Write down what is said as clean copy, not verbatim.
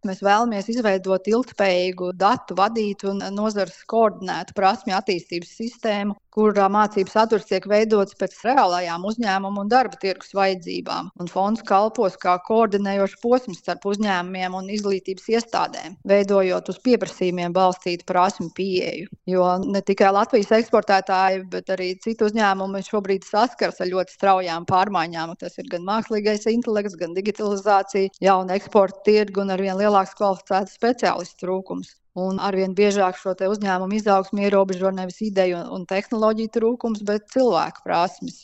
Mēs vēlamies izveidot ilgtspējīgu datu vadītu un nozares koordinētu prasmju attīstības sistēmu, kurā mācību saturs tiek veidots pēc reālajām uzņēmumu un darba tirgus vajadzībām. Un fonds kalpos kā koordinējošs posms starp uzņēmumiem un izglītības iestādēm, veidojot uz pieprasījumiem balstītu prasmju pieeju. Jo ne tikai Latvijas eksportētāji, bet arī citu uzņēmumi šobrīd saskars ar ļoti straujām pārmaiņām. Tas ir gan mākslīgais intelekts, gan digitalizācija, jauna eksporta tirgu un arvien lielāks kvalificētas speciālistu trūkums. Un arvien biežāk šo uzņēmumu izaugsmi ierobežo nevis ideju un tehnoloģiju trūkums, bet cilvēku prasmes.